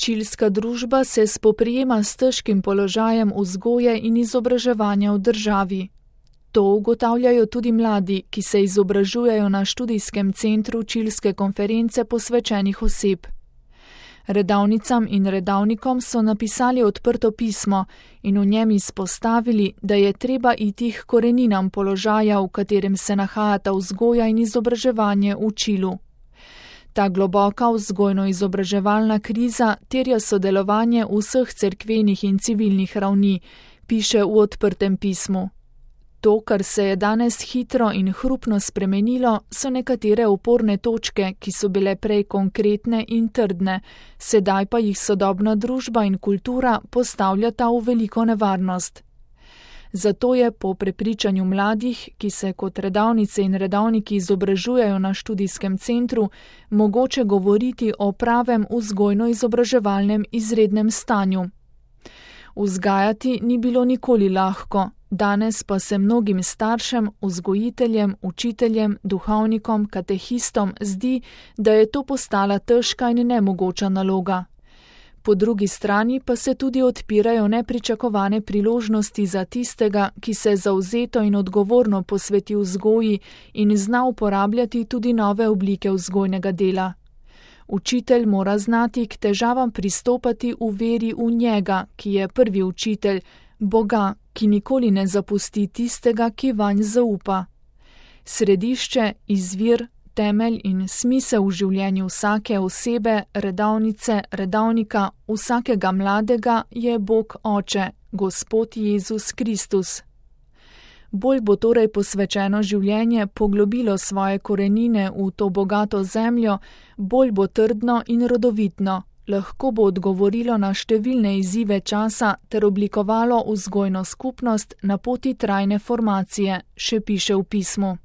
Čilska družba se spoprijema s težkim položajem vzgoje in izobraževanja v državi. To ugotavljajo tudi mladi, ki se izobražujejo na študijskem centru čilske konference posvečenih oseb. Redavnicam in redavnikom so napisali odprto pismo in v njem izpostavili, da je treba iti k koreninam položaja, v katerem se nahajata vzgoja in izobraževanje v Čilu. Ta globoka vzgojno-izobraževalna kriza terja sodelovanje vseh cerkvenih in civilnih ravni, piše v odprtem pismu. To, kar se je danes hitro in hrupno spremenilo, so nekatere oporne točke, ki so bile prej konkretne in trdne, sedaj pa jih sodobna družba in kultura postavljata v veliko nevarnost. Zato je po prepričanju mladih, ki se kot redavnice in redavniki izobražujejo na študijskem centru, mogoče govoriti o pravem vzgojno-izobraževalnem izrednem stanju. Vzgajati ni bilo nikoli lahko, danes pa se mnogim staršem, vzgojiteljem, učiteljem, duhovnikom, katehistom zdi, da je to postala težka in nemogoča naloga. Po drugi strani pa se tudi odpirajo nepričakovane priložnosti za tistega, ki se zavzeto in odgovorno posveti vzgoji in zna uporabljati tudi nove oblike vzgojnega dela. Učitelj mora znati k težavam pristopati v veri v njega, ki je prvi učitelj, Boga, ki nikoli ne zapusti tistega, ki vanj zaupa. Središče, izvir, temelj in smisel v življenju vsake osebe, redavnice, redavnika, vsakega mladega je Bog Oče, Gospod Jezus Kristus. Bolj bo torej posvečeno življenje poglobilo svoje korenine v to bogato zemljo, bolj bo trdno in rodovitno, lahko bo odgovorilo na številne izzive časa ter oblikovalo vzgojno skupnost na poti trajne formacije, še piše v pismu.